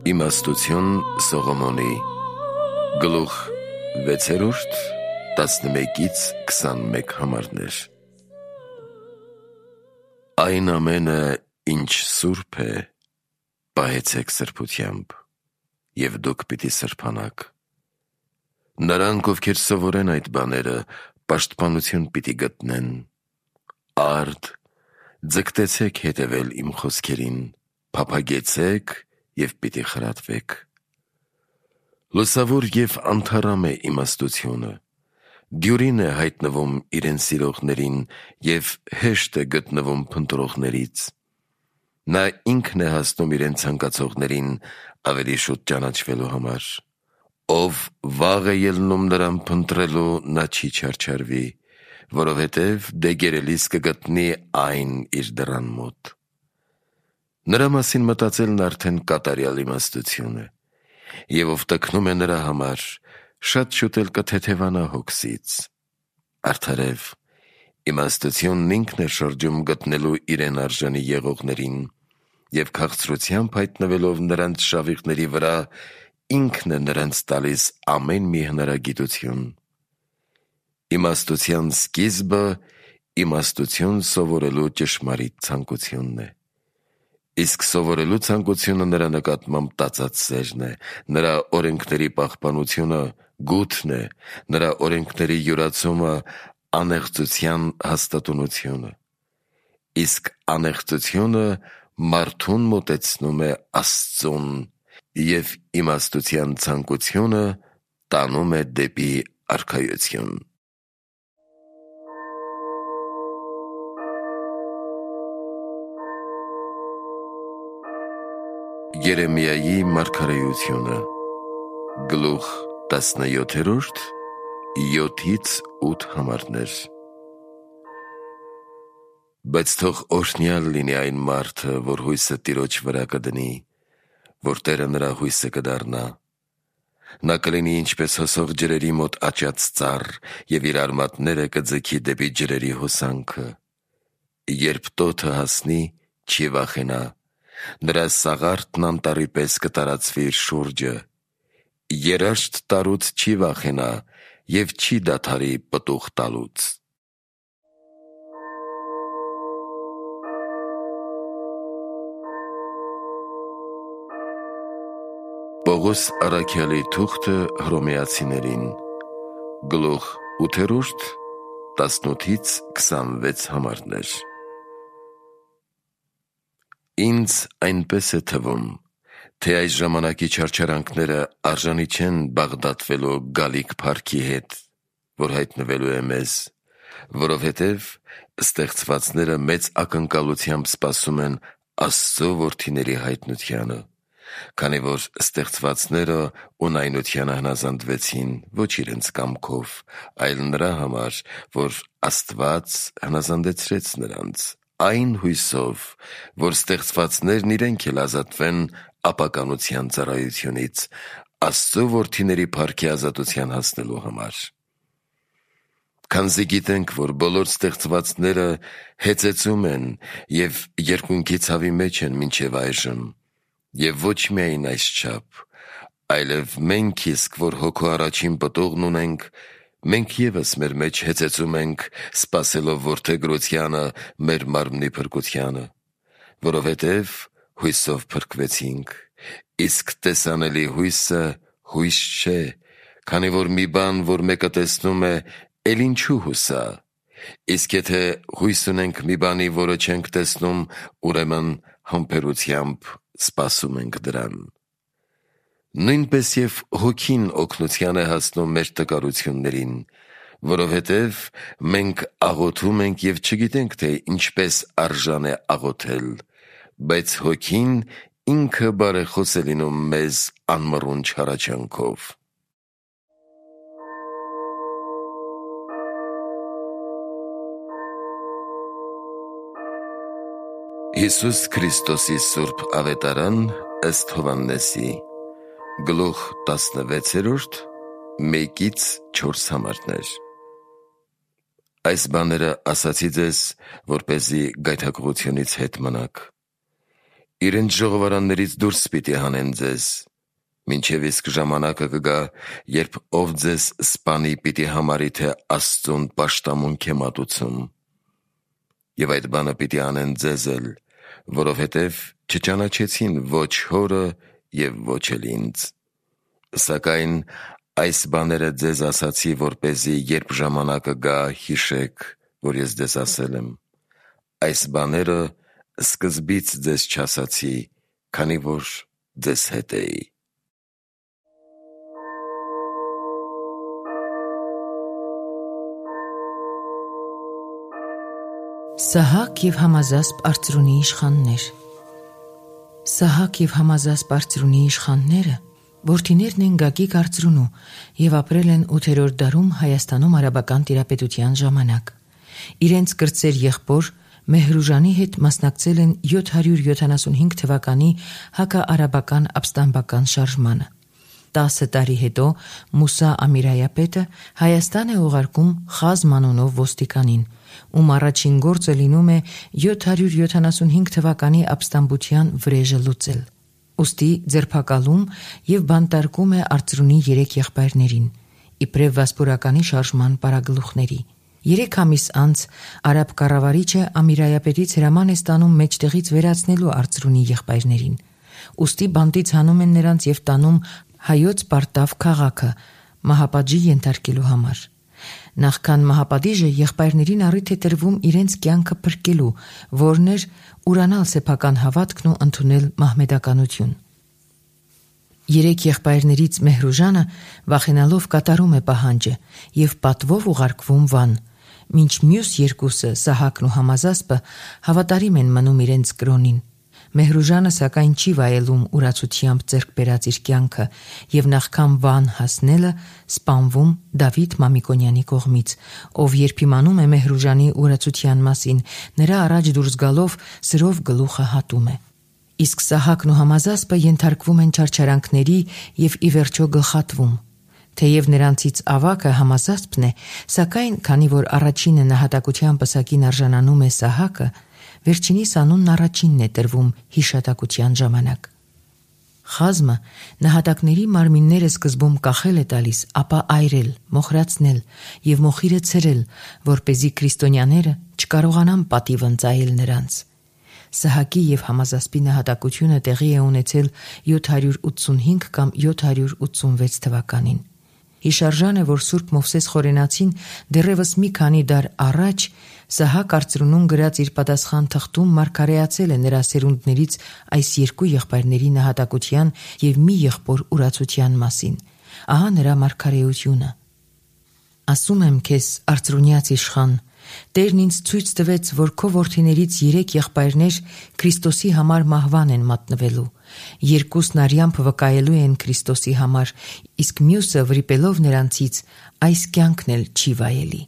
Իմաստություն Սողոմոնի գլուխ 6 11-21 համարներ։ Այն ամենը, ինչ սուրբ է, պահեցեք սրբությամբ, և դուք պիտի սրբանաք։ Նրանք, ովքեր սովորեն այդ բաները, պաշտպանություն պիտի գտնեն։ Արդ, ձգտեցեք հետևել իմ խոսքերին, փափագեցեք և պիտի խրատվեք։ Լուսավոր և անթառամ է իմաստությունը, դյուրին է հայտնվում իրեն սիրողներին և հեշտ է գտնվում փնտրողներից։ Նա ինքն է հասնում իրեն ցանկացողներին ավելի շուտ ճանաչվելու համար։ Ով վաղ է ելնում նրան փնտրելու, նա չի չարչարվի, որովհետև դեգերելիս կգտնի այն իր դռան մոտ։ Նրա մասին մտածելն արդեն կատարյալ իմաստություն է, և ով տքնում է նրա համար, շատ շուտ էլ կթեթևանա հոգսից։ Արդարև, իմաստությունն ինքն է շրջում գտնելու իրեն արժանի եղողներին, և քաղցրությամբ հայտնվելով նրանց շավիղների վրա, ինքն է նրանց տալիս ամեն մի հնարագիտություն։ Իմաստության սկիզբը իմաստություն սովորելու ճշմարիտ ցանկությունն է։ Իսկ սովորելու ցանկությունը նրա նկատմամբ տածած սերն է, նրա օրենքների պահպանությունը գութն է, նրա օրենքների յուրացումը անեղծության հաստատունությունը։ Իսկ անեղծությունը մարդուն մոտեցնում է Աստծուն, և իմաստության ցանկությունը տանում է դեպի արքայություն։ Երեմիայի մարգարեությունը գլուխ 17 7-8 համարներ։ Բայց թող օրհնյալ լինի այն մարդը, որ հույսը Տիրոջ վրա կդնի, որ Տերը նրա հույսը կդառնա։ Նա կլինի ինչպես հոսող ջրերի մոտ աճած ծառ, և իր արմատները կձգի դեպի ջրերի հոսանքը։ Երբ տոթը հասնի, չի վախենա, նրա սաղարթն անտառի պես կտարածվի իր շուրջը։ Երաշտ տարուց չի վախենա և չի դադարի պտուղ տալուց։ Պողոս առաքյալի թուղթը Հռոմեացիներին գլուխ 8 18-26 համարներ։ Ինձ այնպես է թվում, թե այս ժամանակի չարչարանքները արժանի չեն բաղդատվելու գալիք փառքի հետ, որ հայտնվելու է մեզ, որովհետև ստեղծվածները մեծ ակնկալությամբ սպասում են Աստծո որդիների հայտնությանը, քանի որ ստեղծվածները ունայնությանը հնազանդվեցին ոչ իրենց կամքով, այլ նրա համար, որ Աստված հնազանդեցրեց նրանց, այն հույսով, որ ստեղծվածներն իրենք էլ ազատվեն ապականության ծառայությունից, Աստծո որդիների փառքի ազատության հասնելու համար։ Քանզի գիտենք, որ բոլոր ստեղծվածները հեծեծում են և երկունքի ցավի մեջ են մինչև այժմ, և ոչ միայն այսչափ, այլև մենք իսկ, որ հոգու առաջին պտուղն ունենք, մենք ևս մեր մեջ հեծեծում ենք, սպասելով որդեգրությանը մեր մարմնի փրկությանը, որովհետև հույսով փրկվեցինք, իսկ տեսանելի հույսը հույս չէ, քանի որ մի բան, որ մեկը տեսնում է, էլ ինչու հուսա, իսկ եթե հույս ունենք մի բանի, որը չենք տեսնում, ուրեմն համբերությամբ սպասում ենք դրան։ Նույնպես և հոգին օգնության է հասնում մեր տկարություններին, որովհետև մենք աղոթում ենք և չգիտենք, թե ինչպես արժան է աղոթել, բայց հոգին ինքը բարեխոս է լինում մեզ անմռունչ հառաչանքով։ Հիսուս Քրիստոսի սուրբ ավետարան ըստ Հովհաննեսի գլուխ 16 1-4 համարներ։ Այս բաները ասացի ձեզ, որպեսզի գայթակղությունից հետ մնաք։ իրենց ժողովարաններից դուրս պիտի հանեն ձեզ, մինչև իսկ ժամանակը կգա, երբ ով ձեզ սպանի պիտի համարի, թե Աստծուն պաշտամունք է մատուցում, և այդ բանը պիտի անեն ձեզ էլ, որովհետև չճանաչեցին ոչ հորը և ոչ էլ ինձ, սակայն այս բաները ձեզ ասացի, որպեսզի երբ ժամանակը գա, հիշեք, որ ես ձեզ ասել եմ, այս բաները սկզբից ձեզ չասացի, քանի որ ձեզ հետ էի։ Սահակ և Համազասպ Արծրունի իշխաններ։ Սահակ և Համազասպ Արծրունի իշխանները որդիներն են Գագիկ Արծրունու և ապրել են 8-րդ դարում Հայաստանում արաբական տիրապետության ժամանակ։ Իրենց կրտսեր եղբոր Մեհրուժանի հետ մասնակցել են 775 թվականի հակաարաբական ապստամբական շարժմանը։ 10 տարի հետո Մուսա Ամիրայապետը Հայաստան է ուղարկում Խազմ անունով ոստիկանին, ում առաջին գործը լինում է 775 թվականի ապստամբության վրեժը լուծել։ Ուստի ձերբակալում և բանտարկում է Արծրունի 3 եղբայրներին, իբրև վասպուրականի շարժման պարագլուխների։ 3 ամիս անց արաբ կառավարիչը Ամիրայապետից հրաման է ստանում մեջտեղից վերացնելու Արծրունի եղբայրներին։ Ուստի բանտից հանում են նրանց և տանում հայոց Պարտավ քաղաքը մահապատժի ենթարկելու համար։ Նախքան մահապատիժը եղբայրներին առիթ է տրվում իրենց կյանքը փրկելու, որն էր ուրանալ սեփական հավատքն ու ընդունել մահմեդականություն։ 3 եղբայրներից Մեհրուժանը վախենալով կատարում է պահանջը և պատվով ուղարկվում Վան, մինչ մյուս երկուսը Սահակն ու Համազասպը հավատարիմ են մնում իրենց կրոնին։ Մեհրուժանը սակայն չի վայելում ուրացությամբ ձեռք բերած իր կյանքը և նախքան Վան հասնելը սպանվում Դավիթ Մամիկոնյանի կողմից, ով երբ իմանում է Մեհրուժանի ուրացության մասին, նրա առաջ դուրս գալով սրով գլուխը հատում է։ Իսկ Սահակն ու Համազասպը ենթարկվում են չարչարանքների և ի վերջո գլխատվում։ Թեև նրանցից ավագը Համազասպն է, սակայն քանի որ առաջինը նահատակության պսակին արժանանում է Սահակը, վերջինիս անունն առաջինն է տրվում հիշատակության ժամանակ։ Խազմը նահատակների մարմինները սկզբում կախել է տալիս, ապա այրել, մոխրացնել և մոխիրը ցրել, որպեսզի քրիստոնյաները չկարողանան պատիվ ընծայել նրանց։ Սահակի և Համազասպի նահատակությունը տեղի է ունեցել 785 կամ 786 թվականին։ Հիշարժան է, որ Սուրբ Մովսես Խորենացին դեռևս մի քանի դար առաջ Սահակ Արծրունուն գրած իր պատասխան թղթում մարգարեացել է նրա սերունդներից այս 2 եղբայրների նահատակության և մի եղբոր ուրացության մասին։ Ահա նրա մարգարեությունը. «Ասում եմ քեզ, Արծրունյաց իշխան, Տերն ինձ ցույց տվեց, որ քո որդիներից 3 եղբայրներ Քրիստոսի համար մահվան են մատնվելու, 2-ն արյամբ վկայելու են Քրիստոսի համար, իսկ մյուսը վրիպելով նրանցից այս կյանքն էլ չի վայելի»։